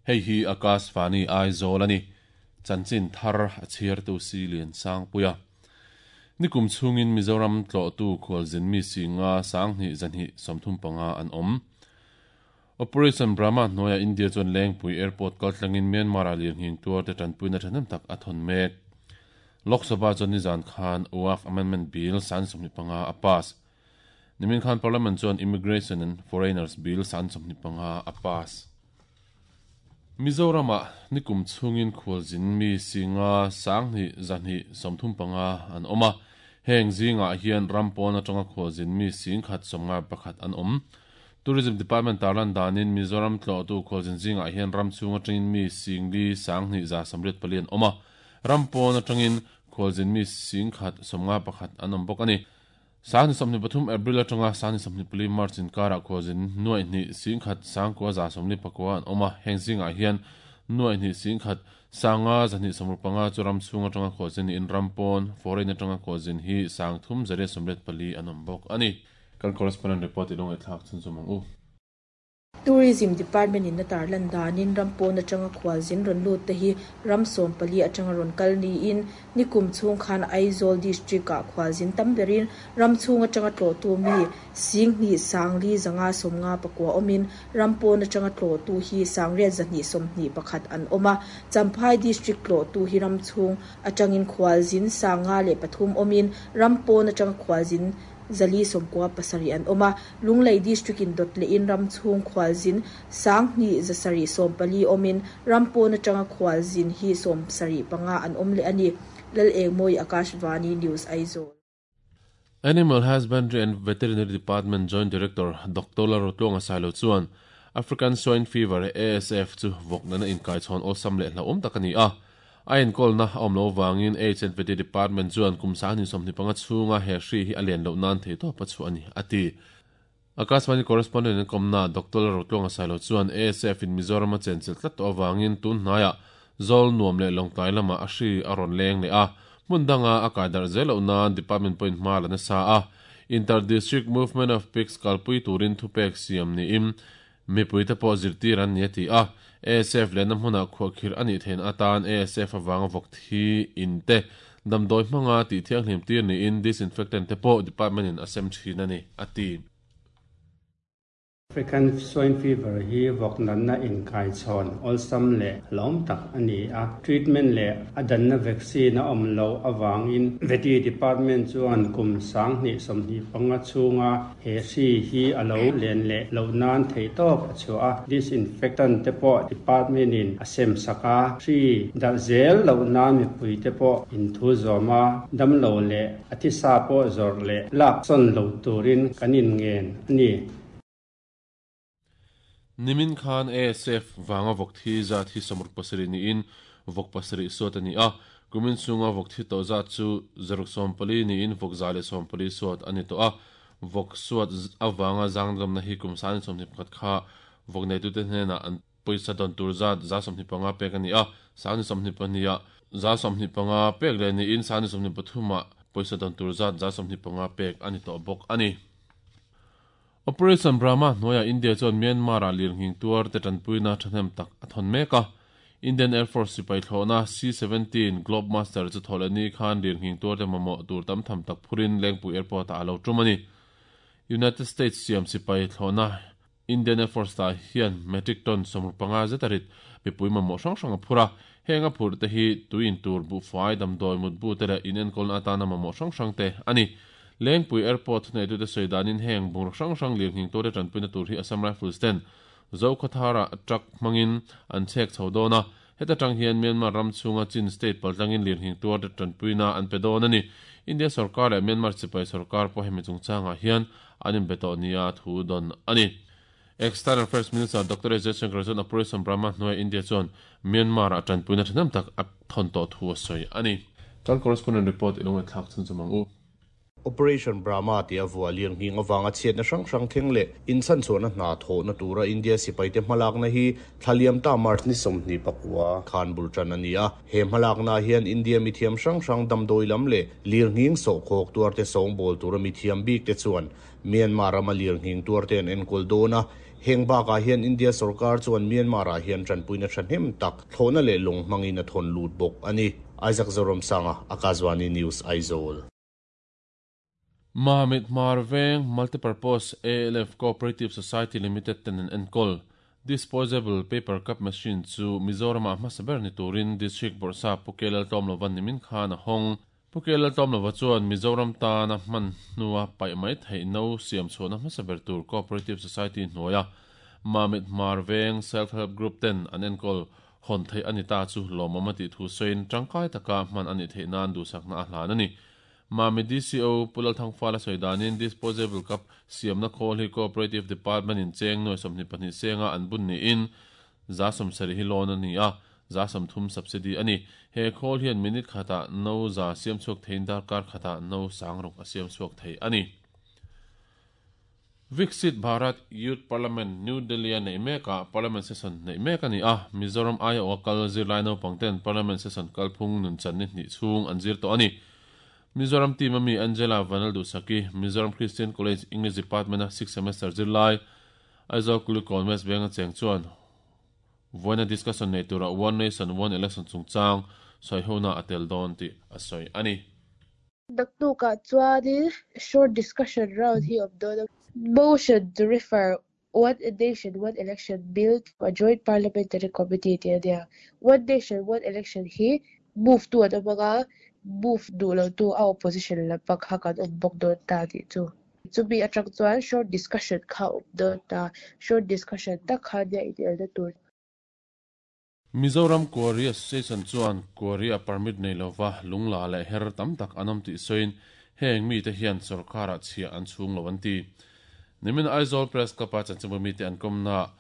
Hei hi Akashvani Aizawl a ni. Chanchin thar a chhiartu si Lian Sangpuia. Nikum chhungin Mizoram tlawhtu khualzin mi singa 22 135 an awm. Operation Brahma hnuaiah India chuan Lengpui Airport kaltlangin Myanmar-ah lirnghing tuar te tanpuina thahnem tak a thawn mek. Lok Sabha chuan nizan khan Waqf Amendment Bill 25 a pass. Nimin khan Parliament chuan Immigration and Foreigners Bill 25 a pass. Mizoramah nikum chhungin khualzin mi singa 2 235 an awm a. Heng zingah hian ram pawn atanga khualzin mi 151 an awm. Tourism Department tarlan danin Mizoram tlawhtu khualzin zingah hian ram chhung atangin mi 4 2 184 an awm a. Ram pawn atangin khualzin mi 151 an awm bawk ani. 23 April atanga 24 March inkara khualzin 2 1 9 149 an awm a. Heng zingah hian 2 1 1 5 265 chu ram chhung atanga khualzin in ram pawn foreign atanga khualzin hi 3 184 an awm bawk ani. Kan correspondent report ilong e thlak chun chumang u. Tourism Department in na tarlan danin rampon atanga khualzin ron lut te hi ram 14 atanga ron kal ni in nikum chung khan Aizawl district a khualzin tamberin ram chung atanga tlo tu mi sing ni sangli zanga somnga pakwa omin rampon atanga tlo tu hi sangriat zahni somni pakhat an oma. Champhai district tlo tu hi ram chung atangin khualzin sanga le pathum omin rampon atanga khualzin zali somkwa pasari an oma. Lunglei district in dot le in ram chung khwalzin 2 zasari sompali omin rampon atanga khwalzin hi som sari panga an omle ani. Lal Engmoi, Akashvani News, Aizawl. Animal Husbandry and Veterinary Department Joint Director Dr. Larotlonga Sailo chuan African Swine Fever ASF chu vokna na inkai chhawn awlsam leh hlauhawm tak ani a. A enkawlna a awm lo wangin HNVT Department chuan kum 25 chhunga he hri hi a lian loh nan thei tawp a chu ani ati. Akashvani correspondent an kawmna Dr. Larotlonga Sailo chuan ASF in Mizoram a chenchilh tlat tawh awangin tun hnaiah zawl nuam leh lawngtlai lama a hri a rawn leng leh a. Hmun danga a kai darh zel loh nan department point hma la nasa a. Inter-district movement of pigs kalpui turin thupek siam niin mipui te pawh zirtir an ni a ti a. ASF lehna hmunah khuahkhir ani thein atan ASF awanga vawk thi in te damdawi hmanga tih thianghlim tir niin disinfectant te pawh department in a sem thin ani ati. African Swine Fever hi vawk natna inkai chhawn awlsam leh hlauhawm tak ani a. Treatment leh a danna vaccine a awm lo awangin Vety Department chuan kum 2025 chhunga he hri hi a lo len leh loh nan thei tawp a chhuah a. Disinfectant te pawh department in a sem sak a. Hri darh zel loh nan mipui te pawh in thu zawm a, dam lo leh a thisa pawh zawrh leh lak chawn lo turin kan in ngen ani. Nimin khan ASF wanga vawk thi zat hi 67 ni in vawk 7 suat ani a. Kumin chunga vawk thi to zat chu 64 ni in vawk 114 suat ani to a. Vawk suat awanga zangdam na hi kum 21 kha vawk nei tu te hnena an poisa don tur zat 125 pek ani a. 22 125 pek le ni in 23 poisa don tur zat 125 pek ani to bawk ani. Operation Brahma hnuaia India chuan Myanmar a lirnghing tuar te tanpuina thahnem tak a thawn mek a. Indian Air Force sipai thlawhna C-17 Globemaster chu thawleh ni khan lirnghing tuar te mamawh tur tam tham tak phurin Lengpui Airport ah a lo tum ani. United States siam sipai thlawhna Indian Air Force ta hian metric ton 65 zetarit mipui mamawh hrang hrang a phur a. Heng a phur te hi tuin tur buhfai damdawi mutbu te leh in enkawlna atana mamawh hrang hrang te ani. Lengpui Airport nei tu te sawidanin heng bur hrang hrang lirnghing tur te tanpuina tur hi Assam Rifles ten Zokhathara truck hmangin an chhek chho dawn a. Heta tang hian Myanmar ram chhunga Chin state paltlangin lirnghing tuar te tanpuina an pe dawn ani. India sarkar leh Myanmar sipai sarkar pawh hemi chungchangah hian an inbe tawh nia thu dawn ani. External Affairs Minister Dr. S. Jaishankar chuan Operation Brahma hnuaia India chuan Myanmar a tanpuina thahnem tak a thawn tawh thu a sawi ani. Kan correspondent report ilong e thlak chun chumang u. Operation Brahma ti a vua lirnghing awanga chhiatna hrang hrang thleng leh inchhan chhuahna hna thawhna tura India sipai te hmalakna hi thlaliam ta March ni 29 khan bul tan ani a. He hmalakna hian India mithiam hrang hrang damdawi lam leh lirnghing sawhkhawk tuar te sawng bawl tura mithiam bik te chuan Myanmar rama lirnghing tuar te an enkawl dawn a. Heng bakah hian India sorkar chuan Myanmar-ah hian tanpuina thahnem tak thlawhna leh lawng hmangin a thawn lut bawk a ni. Isaac Zoramsanga, Akashvani News, Aizawl. Mamit Hmar Veng Multipurpose ALF Cooperative Society Limited ten an enkawl Disposable Paper Cup Machine chu Mizoram-ah hmasa ber ni turin District Bawrhsap Pu Kelal Tlawmlova nimin khan a hawng. Pu Kelal Tlawmlova chuan Mizoram tana hman hnua paih mai theih no siam chhuahna hmasa ber tur Cooperative Society hnuaia Mamit Hmar Veng Self Help Group ten an enkawl hawn theih a ni ta chu lawmawm a tih thu sawiin tangkai taka hman a nih theih nan duhsakna a hlan a ni. Mamit DCO Pu Lalthangfala sawi danin Disposable Cup siamna khawl hi Cooperative Department in cheng nuai 22 senga an bun niin 70% hi loan a ni a, 30% subsidy a ni. He khawl hian minute khatah no za siam chhuak theiin darkar khatah no 6000 a siam chhuak thei a ni. Viksit Bharat Youth Parliament New Delhi a neih mekah Parliament session neih mek a ni a, Mizoram aiawh a kal zirlai naupangten Parliament session kalphung nunchan ni hnih chhung an zir tawh a ni. Mizoram team ami Angela Vanlalduhsaki, Mizoram Christian College English Department a sixth semester zirlai, Aizawl Kulikawn West Benga cheng chuan vawiina discussion nei tura One Nation One Election chungchang sawihona a tel dawn tih a sawi a ni. Naktukah chuanin short discussion round hi awm dawn a. Motion to refer One Nation One Election Bill to a Joint Parliamentary Committee tih a nia. One Nation One Election hi move tu an awm anga, move duh lo tu a opposition lampang kha kan awm bawk dawn ta tih chu. Chumi atang chuan short discussion kha awm dawn ta. Short discussion tak kha nia inelna tur. Mizoram Quarry Association chuan Quarry-a permit nei lova lungla leh her tam tak an awm tih sawiin heng mite hian sorkarah chhiah an chhung lo an ti. Nimin Aizawl Press Club-a chanchinbu mite an kawmnaah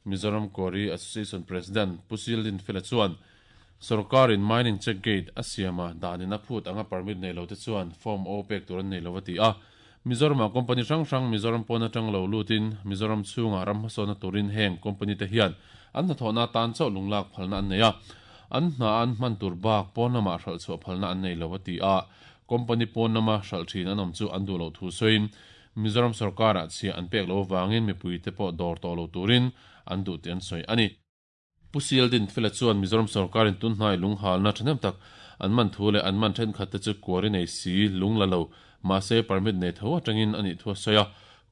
Mizoram Quarry Association President Pu Sildin Fela chuan sorkarin mining check gate a siama danin a phut anga permit nei lote chuan Form O pek tur an nei lo a ti a. Mizoramah company hrang hrang Mizoram pawn atang lo lutin Mizoram chhungah ram hmasawnna turin heng company te hian an hnathawhna atan chauh lunglak phalna an nei a, an hna an hman tur bak pawn lamah hralh chhuah phalna an nei lo a ti a, company pawn lama hralh thin an awm chu an duh loh thu sawiin Mizoram sorkarah chhiah an pek loh avangin mipuite pawh dawr tawh lo turin an duh tih an sawi a ni. Pu Sildin Fela chuan Mizoram sorkarin tunhnai lunghalna thahnem tak an man thu leh an man thenkhat te chu kuari nei si lung la lo, mahse permit nei tho atangin a nih thu a sawi a.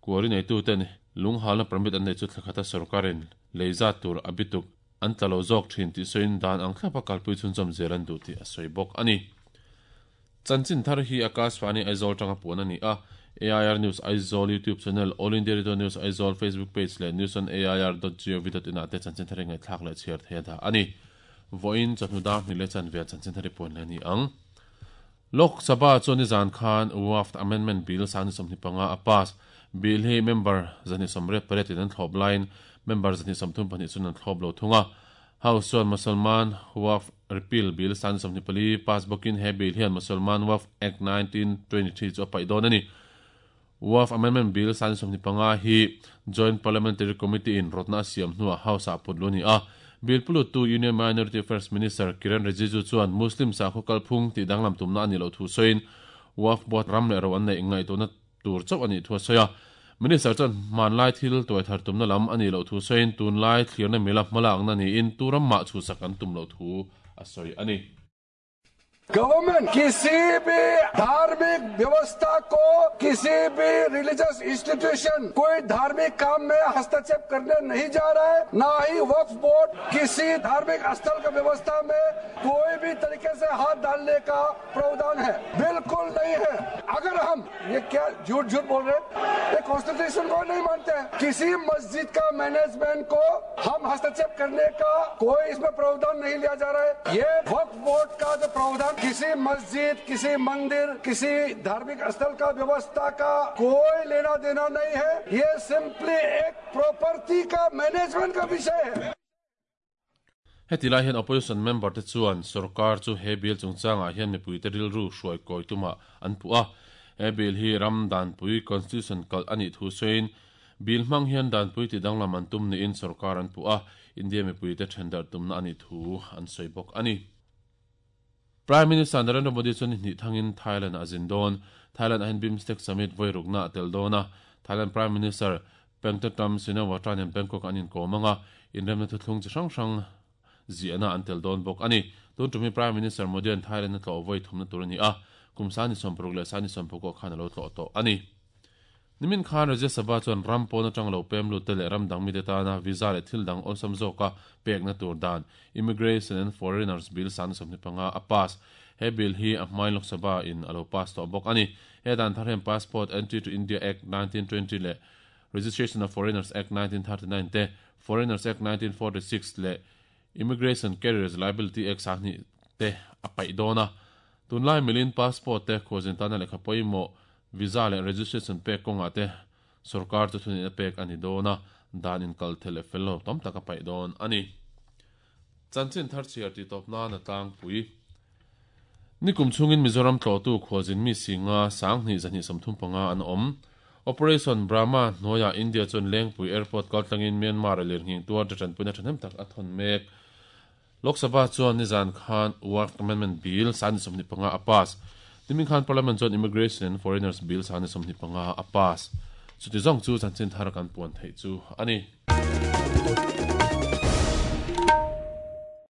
Kuari neituten lunghalna permit an nei chu thlakhata sorkarin lei zat tur a bituk an tla lo zawk thin tih sawiin dan ang thlapa kalpui chhunzawm zel an duh tih a sawi bawk a ni. Chanchin thar hi Akashvani Aizawl tanga puan a ni a, AIR News Aizawl YouTube channel, All India Radio News Aizawl Facebook page leh news on air dot gov dot in ah te chanchin thar hi ngaihthlak leh chhiar thei a dah a ni. Vawiin chawhnu dar hnih leh chanve ah chanchin thar hi puan leh a ni ang. Lok Sabha chuan nizan khan Waqf Amendment Bill 2025 a pass. Bill hi member 288 in an thlawp laiin member 232 chuan an thlawp lo thung a. House chuan Musalman Waqf Repeal Bill 2024 pass bawkin he bill hian Musalman Waqf Act 1923 chu a paih dawn a ni. Waqf Amendment Bill 2025 hi Joint Parliamentary Committee in rawtna a siam hnuah House ah put lu a ni a. Bill puluttu Union Minority Affairs Minister Kiren Rijiju chuan Muslim sakhaw kalphung tih danglam tumna a nih loh thu sawiin Waqf Board ram leh ro an neih ngaihtuahna tur chauh a nih thu a sawi a. Minister chuan hmanlai thil tuai thar tumna lam a nih loh thu sawiin tunlai thlirna mila hmalakna niin tu ram mah chhuhsak an tum loh thu a sawi a ni. Government kisi bhi dharmik vyavastha ko kisi bhi religious institution koi dharmik kaam mein hastakshep karne nahi ja raha hai, na hi Waqf Board kisi dharmik sthal ka vyavastha mein koi bhi tarike se haath daalne ka pravdhan hai, bilkul nahi hai. Agar hum ye kya jhoot jhoot bol rahe hain, ye constitution ko nahi mante hain. Kisi masjid ka management ko hum hastakshep karne ka koi isme pravdhan nahi liya ja raha hai. Ye Waqf Board ka jo pravdhan kisi masjid, kisi mandir, kisi dharmik sthal ka vyavastha ka koi lena dena nahi hai. Ye simply ek property ka management ka vishay hai. Heti lai hian opposition member te chuan sorkar chu he bill chungchangah hian mipuite rilru hruai kawi tumah an puh a. He bill hi ram danpui constitution kalh a nih thu sawiin bill hmang hian danpui ti danglam an tum niin sorkar an puh a, India mipuite then darh tumna a nih thu an sawi bawk a ni. Prime Minister Narendra Modi chuan ni hnih thangin Thailand ah a zin dawn. Thailand ah hian BIMSTEC Summit vawi rukna a tel dawn a. Thailand Prime Minister. Paetongtarn Shinawatra nen Bangkok an inkawm anga, inremna thuthlung chi hrang hrang ziahna an tel dawn bawk a ni. Tun tumi Prime Minister Modi an Thailand a tlawh vawi thumna tur a ni a, kum sani 60 leh sani 19 khan a lo tlawh tawh a ni. Nimin khan Rajya Sabha chuan ram pawn atang lo pem lut te leh ram dang mite tana visa leh thil dang awlsam zawka pekna tur dan Immigration and Foreigners Bill 2025 a pass. He bill hi a hmain Lok Sabha in a lo pass tawh bawk a ni. He dan thar hian Passport Entry to India Act 1920 leh Registration of Foreigners Act 1939 te, Foreigners Act 1946 leh Immigration Carriers Liability Act 20 te a paih dawn a. Tunlai milin passport te khualzin tana lehkha pawimawh visa leh registration pek kawngah te sorkar chu thuneihna pek a ni dawn a, dan inkal thel leh fel lo tam tak a paih dawn a ni. Chanchin thar chhiar tih tawp nan a tlangpui. Nikum chhungin Mizoram tlawhtu khualzin mi singa 2235 an awm. Operation Brahma hnuaiah India chuan Lengpui Airport kaltlangin Myanmar a lirnghing tuar te tanpuina thahnem tak a thawn mek. Lok Sabha chuan nizan khan Waqf Amendment Bill 2025 a pass. Nimin khan Parliament chuan Immigration and Foreigners Bill 2025 a pass. Chuti zawng chu chanchin thar kan puan theih chu a ni.